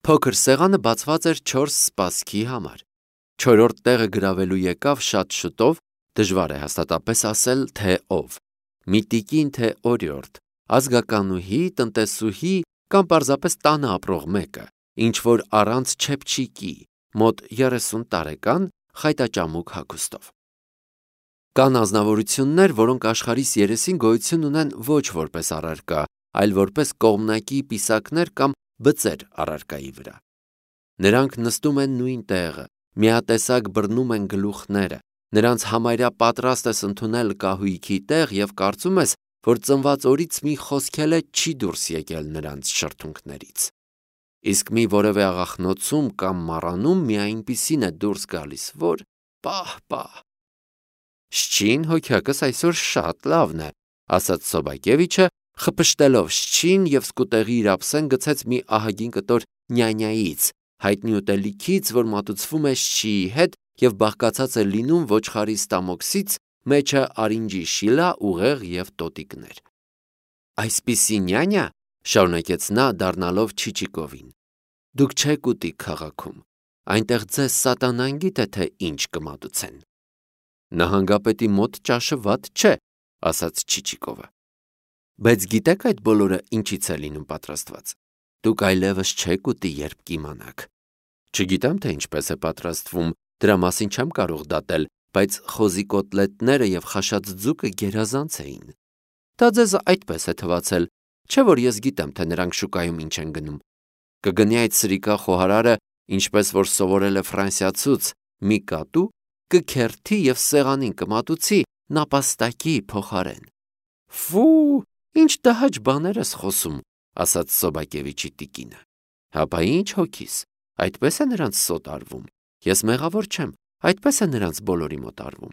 Փոքր սեղանը բացված էր 4 սպասքի համար։ 4-րդ տեղը գրավելու եկավ շատ շուտով, դժվար է հաստատապես ասել, թե ով։ Մի տիկին, թե օրիորդ, ազգականուհի, տնտեսուհի կամ պարզապես տանը ապրող մեկը, ինչ որ առանց չեփչիկի, մոտ 30 տարեկան, խայտաճամուկ հագուստով։ Կան անձնավորություններ, որոնք աշխարհիս երեսին գոյություն ունեն ոչ որպես առարկա, այլ որպես կողմնակի պիսակներ կամ բծեր առարկայի վրա։ Նրանք նստում են նույն տեղը, միատեսակ բռնում են գլուխները, նրանց համարյա պատրաստ ես ընդունել կահույքի տեղ և կարծում ես, որ ծնված օրից մի խոսքել է չի դուրս եկել նրանց շրթունքներից։ Իսկ մի որևէ աղախնոցում կամ մառանում մի այնպիսին է դուրս գալիս, որ պահ։ Շչին հոգյակս այսօր շատ լավն է, ասաց Սոբակևիչը, խփշտելով շչին և սկուտեղի իր ափսեն գցեց մի ահագին կտոր նյանյայից, հայտնի ուտելիքից, որ մատուցվում է շչիի հետ և բաղկացած է լինում ոչխարի ստամոքսից, մեջը արինջի շիլա, ուղեղ և տոտիկներ։ Այսպիսի նյանյա, շարունակեց նա դառնալով Չիչիկովին, դուք չեք ուտի քաղաքում, այնտեղ ձեզ սատանան գիտե, թե ինչ կմատուցեն։ Նահանգապետի մոտ ճաշը վատ չէ, ասաց Չիչիկովը։ Բայց գիտեք այդ բոլորը ինչից է լինում պատրաստված։ Դուք այլևս չեք ուտի, երբ կիմանաք։ Չգիտեմ, թե ինչպես է պատրաստվում, դրա մասին չեմ կարող դատել, բայց խոզի կոտլետները և խաշած ձուկը գերազանց էին։ Դա ձեզ այդպես է թվացել, չէ՞ որ ես գիտեմ, թե նրանք շուկայում ինչ են գնում։ Կգնի այդ սրիկա խոհարարը, ինչպես որ սովորել է ֆրանսիացուց, մի կատու, կքերթի և սեղանին կմատուցի նապաստակի փոխարեն։ Ֆու, ինչ տհաճ բաներ ես խոսում, ասաց Սոբակևիչի տիկինը։ Հապա ինչ հոգիս, այդպես է նրանց սոտ արվում։ Ես մեղավոր չեմ, այդպես է նրանց բոլորի մոտ արվում։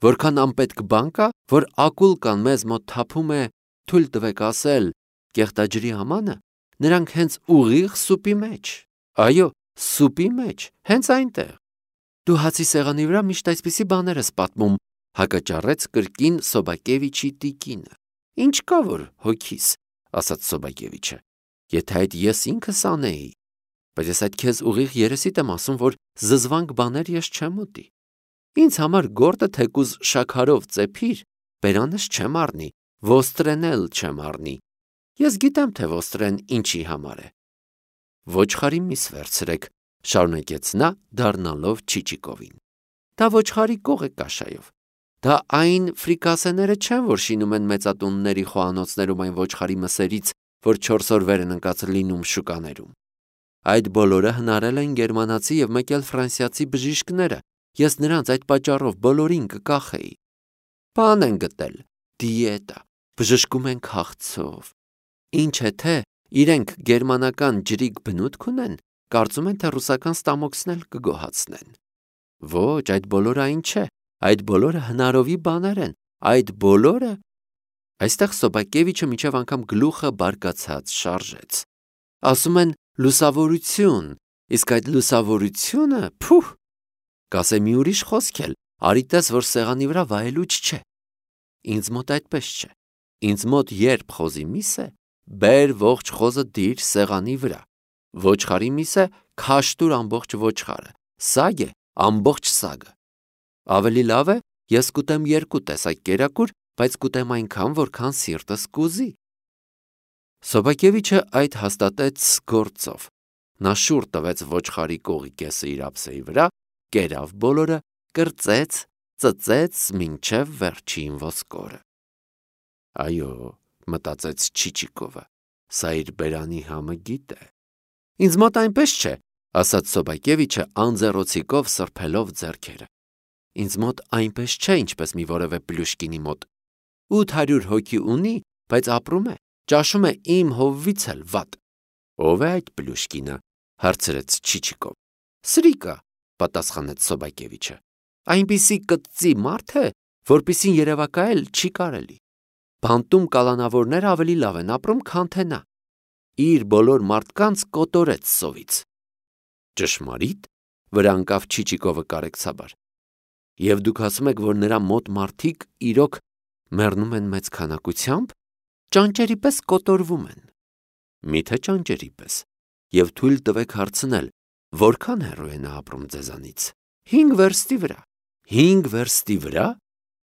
Որքան անպետք բան կա, որ ակուլկան մեզ մոտ թափում է, թույլ տվեք ասել, կեղտաջրի համանը, նրանք հենց ուղիղ սուպի մեջ, այո, սուպի մեջ, հենց այնտեղ։ Դու հացի սեղանի վրա միշտ այսպիսի բաներ ես պատմում, հակաճառեց կրկին Սոբակևիչի տիկինը։ Ինչ կա որ հոգիս, ասաց Սոբակևիչը, եթե այդ ես ինքս անեի, բայց ես այդ քեզ ուղիղ երեսիդ եմ ասում, որ զզվանք բաներ ես չեմ ուտի։ Ինձ համար գորտը թեկուզ շաքարով ծեփիր, բերանս չեմ առնի, ոստրեն էլ չեմ առնի։ Ես գիտեմ, թե ոստրեն ինչի համար է։ Ոչխարի միս վերցրեք, շարունակեց նա, դառնալով Չիչիկովին։ Դա ոչխարի կող է կաշայով։ Դա այն ֆրիկասեները չեն, որ շինում են մեծատունների խոհանոցներում այն ոչխարի մսերից, որ 4 օր վեր են ընկած լինում շուկաներում։ Այդ բոլորը հնարել են գերմանացի և մեկ էլ ֆրանսիացի բժիշկները, ես նրանց այդ պատճառով բոլորին կկախեի։ Բան են գտել, դիետա, բժշկում են քաղցով։ Ինչ է թե, իրենք գերմանական ջրիկ բնութք ունեն, կարծում են, թե ռուսական ստամոքսն էլ կգոհացնեն։ Ոչ, այդ բոլորը այն չէ, այդ բոլորը հնարովի բաներ են, այդ բոլորը… Այստեղ Սոբակևիչը մինչև անգամ գլուխը բարկացած շարժեց։ Ասում են լուսավորություն, իսկ այդ լուսավորությունը, փուհ, կասե մի ուրիշ խոսք էլ, արի տես, որ սեղանի վրա վայելուչ չէ։ Ինձ մոտ այդպես չէ։ Ինձ մոտ երբ խոզի միս է, բեր ողջ խոզը դիր սեղանի վրա։ Ոչխարի միս է, քաշտուր ամբողջ ոչխարը, սագ է, ամբողջ սագը։ Ավելի լավ է, ես կուտեմ 2 տեսակ կերակուր, բայց կուտեմ այնքան, որքան սիրտս կուզի։ Սոբակևիչը այդ հաստատեց գործով։ Նա շուռ տվեց ոչխարի կողի կեսը իր ափսեի վրա, կերավ բոլորը, կրծեց, ծծեց մինչև վերջին ոսկորը։ Այո, մտածեց Չիչիկովը, սա իր բերանի համը գիտե։ Ինձ մոտ այնպես չէ, ասաց Սոբակևիչը անձեռոցիկով սրբելով ձեռքերը։ Ինձ մոտ այնպես չէ, ինչպես մի որևէ Պլյուշկինի մոտ։ 800 հոգի ունի, բայց ապրում է, ճաշում է իմ հովվից էլ վատ։ Ո՞վ է այդ Պլյուշկինը, հարցրեց Չիչիկով։ Սրիկա, պատասխանեց Սոբակևիչը։ Այնպիսի կծծի մարդ է, որպիսին երևակայել չի կարելի։ Բանտում կալանավորները ավելի լավ են ապրում, քան թե նա։ Իր բոլոր մարդկանց կոտորեց սովից։ Ճշմարիտ, վրա ընկավ Չիչիկովը կարեկցաբար։ Եվ դուք ասում եք, որ նրա մոտ մարդիկ իրոք մեռնում են մեծ քանակությամբ, ճանճերի պես կոտորվում են։ Միթե ճանճերի պես։ եւ թույլ տվեք հարցնել, որքան հեռու է նա ապրում ձեզանից։ 5 վերստի վրա։ 5 վերստի վրա,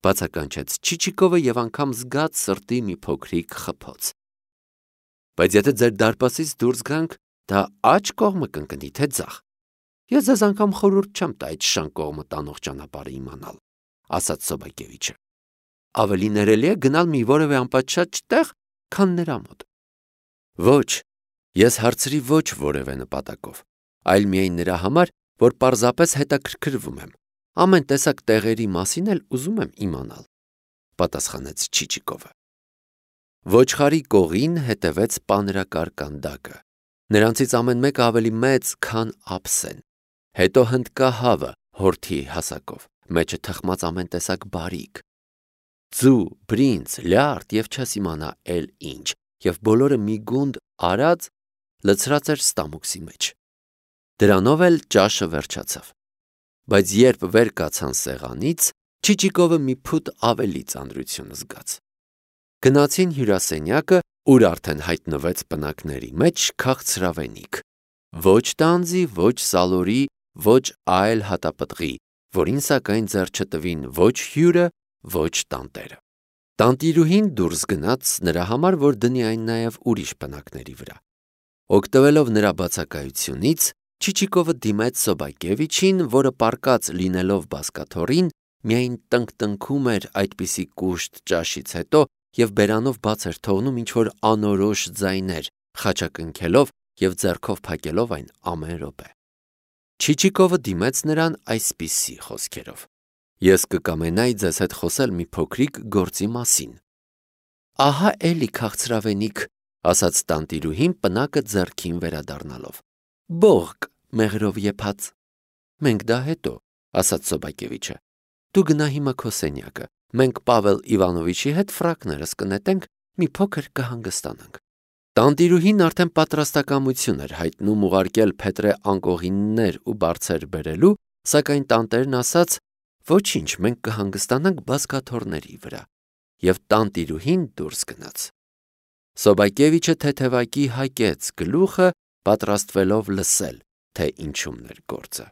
բացականչեց Չիչիկովը եւ անգամ զգաց սրտի մի փոքրիկ խփոց։ Բայց եթե ձեր դարպասից դուրս գանք, դա աջ կողմը կընկնի, թե ձախ։ Ես ձեզ անգամ խորհուրդ չեմ տա այդ շան կողմը տանող ճանապարհը իմանալ, ասաց Սոբակևիչը։ Ավելի ներելի է գնալ մի որևէ անպատշաճ տեղ, քան նրա մոտ։ Ոչ, ես հարցրի ոչ որևէ նպատակով, այլ միայն նրա համար, որ պարզապես հետաքրքրվում եմ, ամեն տեսակ տեղերի մասին էլ ուզում եմ իմանալ, պատասխանեց Չիչիկովը։ Ոչխարի կողին հետևեց պանրակար կանդակը։ Նրանցից ամեն մեկը ավելի մեծ, քան ափսեն։ Հետո հնդկա հավը հորթի հասակով, մեջը թխմած ամեն տեսակ բարիք։ Ձու, բրինձ, լյարդ եւ չես իմանա էլ ինչ, եւ բոլորը մի գունդ արած լցրած էր ստամոքսի մեջ։ Դրանով էլ ճաշը վերջացավ։ Բայց երբ վեր կացան սեղանից, Չիչիկովը մի փուտ ավելի ծանրություն զգաց։ Գնացին հյուրասենյակը, ուր արդեն հայտնվեց պնակների մեջ քաղցրավենիք։ Ոչ տանձի, ոչ սալորի, ոչ այլ հատապտղի, որին սակայն ձեռ չտվին ոչ հյուրը, ոչ տանտերը։ Տանտիրուհին դուրս գնաց նրա համար, որ դնի այն նաև ուրիշ պնակների վրա։ Օգտվելով նրա բացակայությունից, Չիչիկովը դիմեց Սոբակևիչին, որը պառկած լինելով բազկաթոռին, միայն տնկտնքում էր այդպիսի կուշտ ճաշից հետո եւ բերանով բաց էր թողնում ինչ-որ անորոշ ձայներ, խաչակնքելով եւ ձեռքով փակելով այն ամեն րոպե։ Չիչիկովը դիմեց նրան այսպիսի խոսքերով. Ես կկամենայի ձեզ հետ խոսել մի փոքրիկ գործի մասին։ Ահա էլի քաղցրավենիք, ասաց տանտիրուհին պնակը ձեռքին վերադառնալով։ Բողկ մեղրով եփած։ Մենք դա հետո, ասաց Սոբակևիչը։ Դու գնա հիմա քո սենյակը։ Մենք Պավել Իվանովիչի հետ ֆրակներս կնետենք, մի փոքր կհանգստանանք։ Տանտիրուհին արդեն պատրաստակամություն էր հայտնում ուղարկել Փետրե անկողիններ ու բարձեր բերելու, սակայն տանտերն ասաց. Ոչինչ, մենք կհանգստանանք բազկաթոռների վրա, եւ տանտիրուհին դուրս գնաց։ Սոբակևիչը թեթևակի հակեց գլուխը, պատրաստվելով լսել, թե ինչումն էր գործը։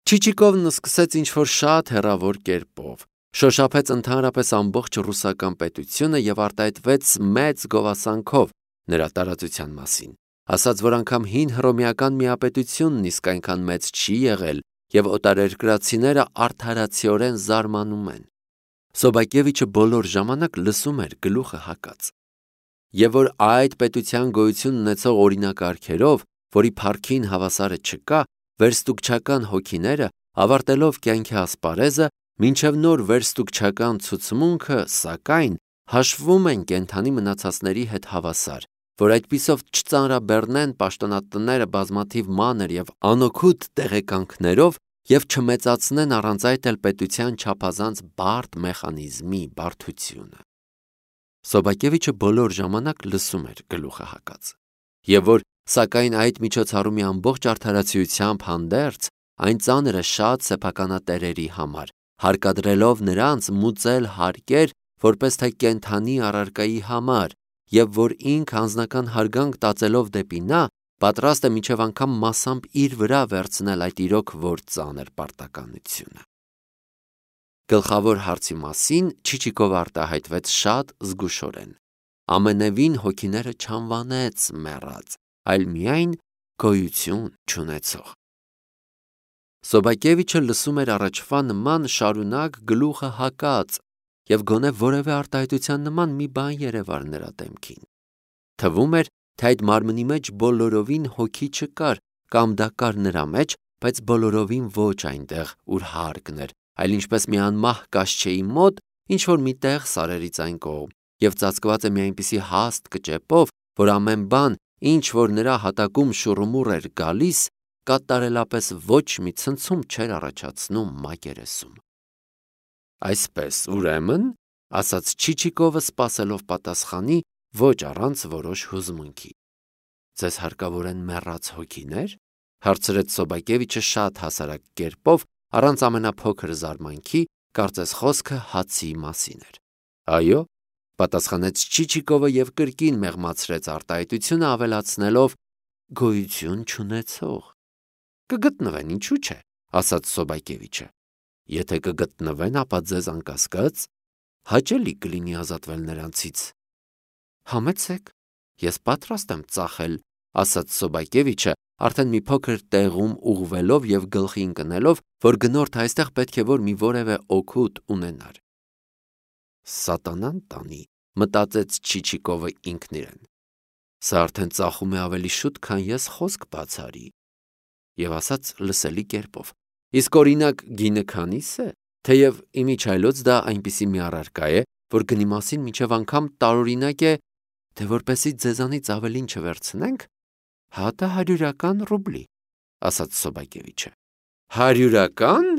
Չիչիկովն սկսեց ինչ-որ շատ հեռավոր կերպով, շոշափեց ընդհանրապես ամբողջ ռուսական պետությունը եւ արտահայտվեց մեծ գովասանքով նրա տարածության մասին, ասաց, որ անգամ հին հռոմեական միապետությունն իսկ այնքան մեծ չի եղել եւ օտարերկրացիները արդարացիորեն զարմանում են։ Սոբակևիչը բոլոր ժամանակ լսում էր գլուխը հակած։ Եվ որ այդ պետության գոյություն ունեցող օրինակարգերով, որի փառքին հավասարը չկա, վերստուգչական հոգիները, ավարտելով կյանքի ասպարեզը, մինչև նոր վերստուգչական ցուցմունքը, սակայն, հաշվում են կենդանի մնացածների հետ հավասար, որ այդպիսով չծանրաբեռնեն պաշտոնատները բազմաթիվ մանր եւ անօգուտ տեղեկանքներով եւ չմեծացնեն առանց այդ էլ պետության չափազանց բարդ մեխանիզմի բարդությունը։ Սոբակևիչը բոլոր ժամանակ լսում էր գլուխը հակած, եւ որ, սակայն այդ միջոցառումի ամբողջ արդարացիությամբ հանդերձ, այն ծանրը շատ սեփականատերերի համար, հարկադրելով նրանց մուծել հարկեր, որպես թե կենդանի առարկայի համար, եւ որ ինք անձնական հարգանք տածելով դեպի նա, պատրաստ է մինչև անգամ մասամբ իր վրա վերցնել այդ իրոք որ ծանր պարտականությունը։ Գլխավոր հարցի մասին Չիչիկովը արտահայտվեց շատ զգուշորեն։ Ամենևին հոգիները չանվանեց մեռած, այլ միայն գոյություն չունեցող։ Սոբակևիչը լսում էր առաջվա նման շարունակ գլուխը հակած եւ գոնե որևէ արտահայտության նման մի բան երևար նրա դեմքին։ Թվում էր, թե այդ մարմնի մեջ բոլորովին հոգի չկար, կամ դա կար նրա մեջ, բայց բոլորովին ոչ այնտեղ, ուր հարկն էր, այլ ինչպես մի անմահ կաշչեի մոտ, ինչ-որ մի տեղ սարերից այն կողմ, եւ ծածկված է մի այնպիսի հաստ կճեպով, որ ամեն բան, ինչ որ նրա հատակում շուռումուռ էր գալիս, կատարելապես ոչ մի ցնցում չէր առաջացնում մակերեսում։ Այսպես, ուրեմն, ասաց Չիչիկովը սպասելով պատասխանի, ոչ առանց որոշ հուզմունքի։ Ձեզ հարկավոր են մեռած հոգիներ, հարցրեց Սոբակևիչը շատ հասարակ կերպով, առանց ամենափոքր զարմանքի, կարծես խոսքը հացի մասին էր։ Այո, պատասխանեց Չիչիկովը եւ կրկին մեղմացրեց արտահայտությունը ավելացնելով. գոյություն չունեցող։ Կգտնվեն, ինչու՞ չէ, ասաց Սոբակևիչը։ Եթե կգտնվեն, ապա ձեզ անկասկած հաճելի կլինի ազատվել նրանցից։ Համեցեք, ես պատրաստ եմ ծախել, ասաց Սոբակևիչը, արդեն մի փոքր տեղում ուղղվելով եւ գլխի ընկնելով, որ գնորդը այստեղ պետք է որ մի որևէ օգուտ ունենար։ Սատանան տանի, մտածեց Չիչիկովը ինքն իրեն։ Սա արդեն ծախում է ավելի շուտ, քան ես խոսք բացարի։ Եվ ասաց լսելի կերպով. իսկ օրինակ գինը քանի՞ս է, թեև իմիջայլոց դա այնպիսի մի առարկա է, որ գնի մասին մինչև անգամ տարօրինակ է, թե որպեսզի ձեզանից ավելին չվերցնենք, հատը 100 ռուբլի, ասաց Սոբակևիչը։ 100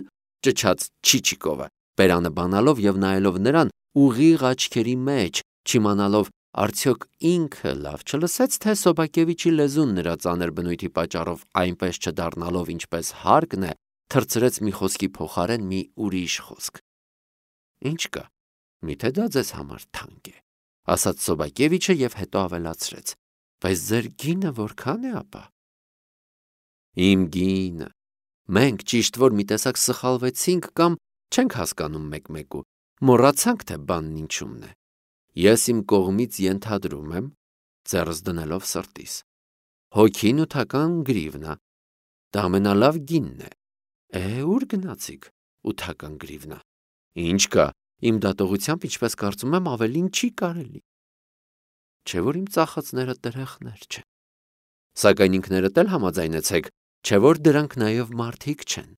ճչաց Չիչիկովը, բերանը բանալով եւ նայելով նրան ուղիղ աչքերի մեջ, չիմանալով արդյոք ինքը լավ չլսեց, թե Սոբակևիչի լեզուն նրա ծանր բնույթի պատճառով այնպես չդառնալով, ինչպես հարկն է, թրծրեց մի խոսքի փոխարեն մի ուրիշ խոսք։ Ինչ կա, միթե դա ձեզ համար թանկ է, ասաց Սոբակևիչը եւ հետո ավելացրեց. բայց ձեր գինը որքան է ապա։ Իմ գինը։ Մենք ճիշտ որ մի տեսակ սխալվեցինք կամ չենք հասկանում մեկ-մեկու, մոռացանք թե բանն ինչումն է։ Ես իմ կողմից ենթադրում եմ, ձեռս դնելով սրտիս, հոգին 8 գրիվնա, դա ամենալավ գինն է։ Ուր գնացիք 8 գրիվնա։ Ինչ կա, իմ դատողությամբ, ինչպես կարծում եմ, ավելին չի կարելի։ Չէ որ իմ ծախածները տերեղներ չեն։ Սակայն ինքներդ էլ համաձայնեցեք, չէ որ դրանք նաև մարդիկ չեն։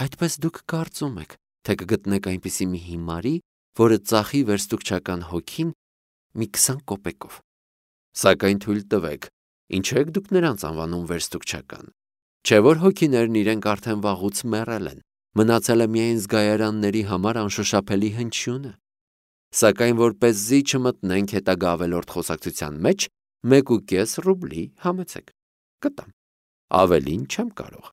Այդպես դուք կարծում եք, թե կգտնեք այնպիսի մի հիմարի, որը ծախի վերստուգչական հոգին մի 20 կոպեկով։ Սակայն թույլ տվեք, ինչու եք դուք նրանց անվանում վերստուգչական։ Չէ որ հոգիներն իրենք արդեն վաղուց մեռել են, մնացել է միայն զգայարանների համար անշոշափելի հնչյունը։ Սակայն որպեսզի չմտնենք հետագա ավելորդ խոսակցության մեջ, 1.5 ռուբլի համեցեք, կտամ, ավելին չեմ կարող։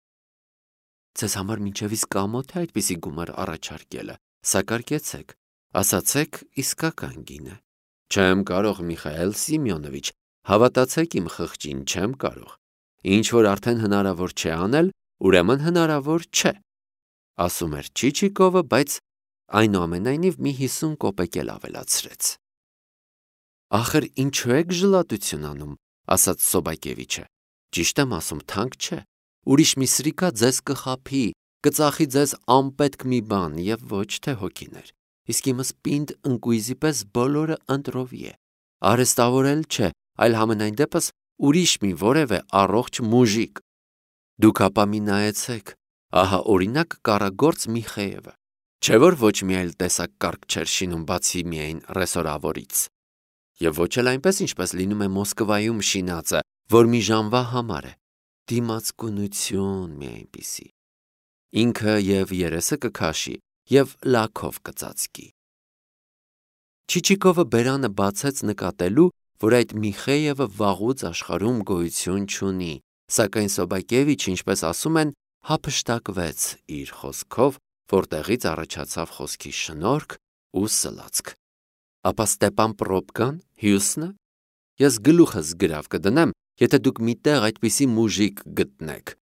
Ձեզ համար մինչև իսկ ամոթ է այդպիսի գումար առաջարկելը, սակարկեցեք, ասացեք իսկական գինը։ Չեմ կարող, Միխայել Սիմեոնովիչ, հավատացեք իմ խղճին, չեմ կարող։ Ինչ որ արդեն հնարավոր չէ անել, ուրեմն հնարավոր չէ, ասում էր Չիչիկովը, բայց այնուամենայնիվ մի 50 կոպեկ էլ ավելացրեց։ Ախր ինչու եք ժլատություն անում, ասաց Սոբակևիչը։ Ճիշտ եմ ասում, թանկ չէ։ Ուրիշ մի սրիկա ձեզ կխաբի, կծախի ձեզ անպետք մի բան եւ ոչ թե հոգիներ։ Իսկ իմս պինդ ընկույզի պես բոլորը ընտրովի է։ Արհեստավորել չէ, այլ համենայն դեպս ուրիշ մի որևէ առողջ մուժիկ։ Դուք ապա մի նայեցեք, ահա օրինակ կառագործ Միխեևը։ Չէ որ ոչ մի այլ տեսակ կարգ չէր շինում բացի միայն ռեսորավորից։ Եվ ոչ էլ այնպես, ինչպես լինում է Մոսկվայում շինածը, որ մի ժամվա համար է։ Դիմացկունություն մի այնպիսի։ Ինքը եւ երեսը կքաշի եւ լաքով կծածկի։ Չիչիկովը բերանը բացեց նկատելու, որ այդ Միխեևը վաղուց աշխարհում գոյություն չունի, սակայն Սոբակևիչը, ինչպես ասում են, հափշտակվեց իր խոսքով, որտեղից առաջացավ խոսքի շնորհք ու սլացք։ Ապա Ստեպան Պրոբկան, Հյուսնը, ես գլուխս գրավ կդնեմ, եթե դուք միտեղ այդպիսի մուժիկ գտնեք։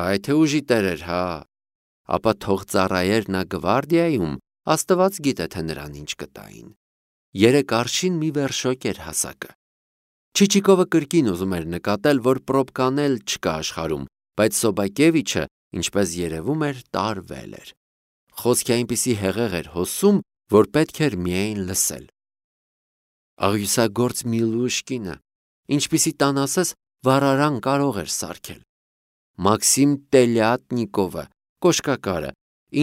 Այ թե ուժի տերեր, հա։ Ապա թող ծառայեր նա գվարդիայում, Աստված գիտե թե նրան ինչ կտային։ 3 արշին մի վերշոկ էր հասակը։ Չիչիկովը կրկին ուզում էր նկատել, որ Պրոբկան էլ չկա աշխարհում, բայց Սոբակևիչը, ինչպես երևում էր, տարվել էր։ Խոսքի այնպիսի հեղեղ էր հոսում, որ պետք էր միայն լսել։ Աղյուսագործ Միլուշկինը, ինչպիսի տան ասես, վառարան կարող էր սարքել։ Մաքսիմ Տելյատնիկովը, կոշկակարը,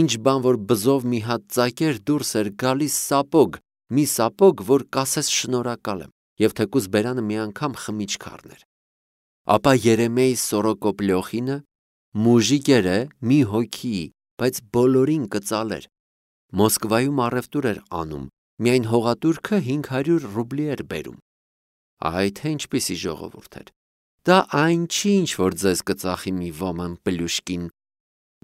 ինչ բան որ բզով մի հատ ծակեր դուրս էր գալիս սապոգ, մի սապոգ, որ կասես շնորհակալ եմ, եւ թեկուզ բերանը մի անգամ խմիչք առներ։ Ապա Երեմեյ Սորոկոպլյոխինը, մուժիկ էր, մի հոգի, բայց բոլորին կծալեր։ Մոսկվայում առևտուր էր անում, միայն հողատուրքը 500 ռուբլի էր բերում։ Այ թե ինչպիսի ժողովուրդ էր։ Դա այն չի, ինչ որ ձեզ կծախի մի ոման Պլյուշկին։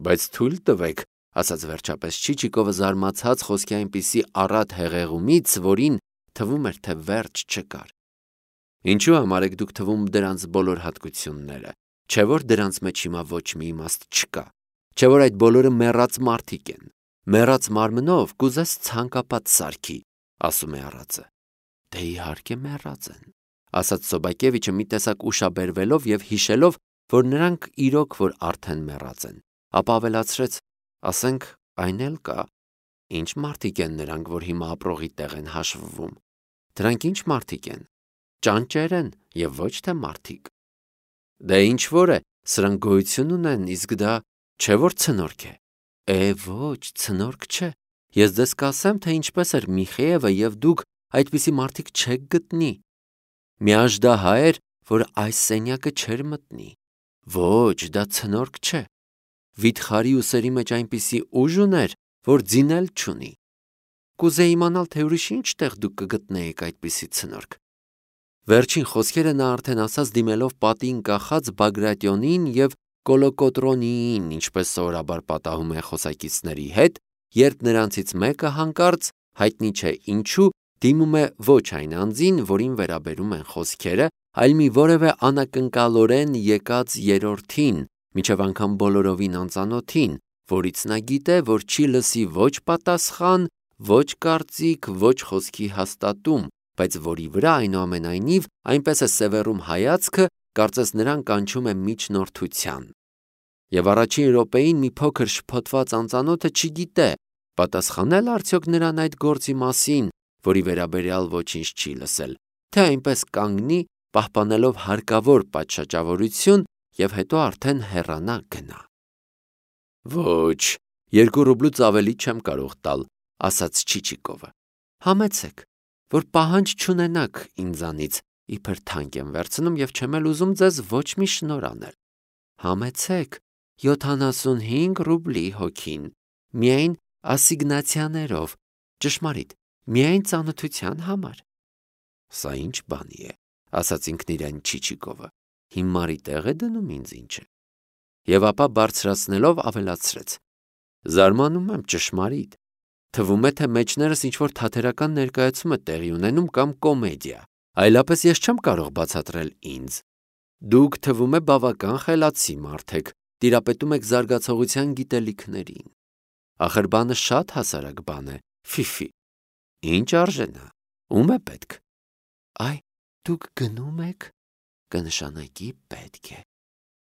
Բայց թույլ տվեք, ասաց վերջապես Չիչիկովը զարմացած խոսքի այնպիսի առատ հեղեղումից, որին թվում էր, թե վերջ չկար։ Ինչու համար եք դուք թվում դրանց բոլոր հատկությունները, չէ որ դրանց մեջ հիմա ոչ մի իմաստ չկա, չէ որ այդ բոլորը մեռած մարդիկ են, մեռած մարմնով կուզես ցանկապատ սարքի, ասում է առածը։ Դե իհարկե մեռած են, ասաց Սոբակևիչը մի տեսակ ուշաբերվելով եւ հիշելով, որ նրանք իրոք որ արդեն մեռած են, ապա ավելացրեց. ասենք այն էլ կա, ինչ մարդիկ են նրանք, որ հիմա ապրողի տեղ են հաշվվում, դրանք ինչ մարդիկ են, ճանճեր են եւ ոչ թե մարդիկ։ Դե ինչ որ է, սրանք գոյություն ունեն, իսկ դա չէ որ ցնորք է։ Ոչ, ցնորք չէ։ Ես ձեզ կասեմ, թե ինչպես էր Միխեևը եւ դուք այդպիսի մարդիկ չեք գտնի։ Մի աժդահա էր, որ այս սենյակը չէր մտնի։ Ոչ, դա ցնորք չէ։ Վիթխարի ուսերի մեջ այնպիսի ուժ ուներ, որ ձինել չունի։ Կուզեի իմանալ, թե ուրիշ ինչ տեղ դուք կգտնեիք այդպիսի ցնորք։ Վերջին խոսքերը նա արդեն ասաց դիմելով պատին կախած Բագրատյոնին եւ Կոլոկոտրոնիին, ինչպես սովորաբար պատահում է խոսակիցների հետ, երբ նրանցից մեկը հանկարծ, հայտնի չէ ինչու, դիմում է ոչ այն անձին, որին վերաբերում են խոսքերը, այլ մի որևէ անակնկալորեն եկած երրորդին, մինչև անգամ բոլորովին անծանոթին, որից նա գիտե, որ չի լսի ոչ պատասխան, ոչ կարծիք, ոչ խոսքի հաստատում, բայց որի վրա այնուամենայնիվ այնպես է սևեռում հայացքը, կարծես նրան կանչում է միջնորդության։ Եվ առաջին րոպեին մի փոքր շփոթված անծանոթը չգիտե, պատասխանել արդյոք նրան այդ գործի մասին, որի վերաբերյալ ոչինչ չի լսել, թե այնպես կանգնի, պահպանելով հարկավոր պատշաճավորություն եւ հետո արդեն հեռանա գնա։ Ոչ, 2 ռուբլուց ավելի չեմ կարող տալ, ասաց Չիչիկովը։ Համեցեք, որ պահանջ չունենաք ինձանից, իբր թանկ եմ վերցնում եւ չեմ էլ ուզում ձեզ ոչ մի շնոր անել։ Համեցեք, 75 ռուբլի հոգին, միայն ասիգնացիաներով, ճշմարիտ, միայն ծանոթության համար։ Սա ինչ բանի է, ասաց ինքն իրեն Չիչիկովը, հիմարի տեղ է դնում ինձ ինչ է։ Եվ ապա բարձրացնելով ավելացրեց. զարմանում եմ ճշմարիտ, թվում է, թե մեջներս ինչ-որ թատերական ներկայացում է տեղի ունենում կամ կոմեդիա, այլապես ես չեմ կարող բացատրել ինձ։ Դուք թվում է բավական խելացի մարդ եք, տիրապետում եք զարգացողության գիտելիքներին։ Ախր բանը շատ հասարակ բան է, ֆիֆի։ Ինչ արժեն է, ում է պետք։ Այ, դուք գնում եք, կնշանակի պետք է։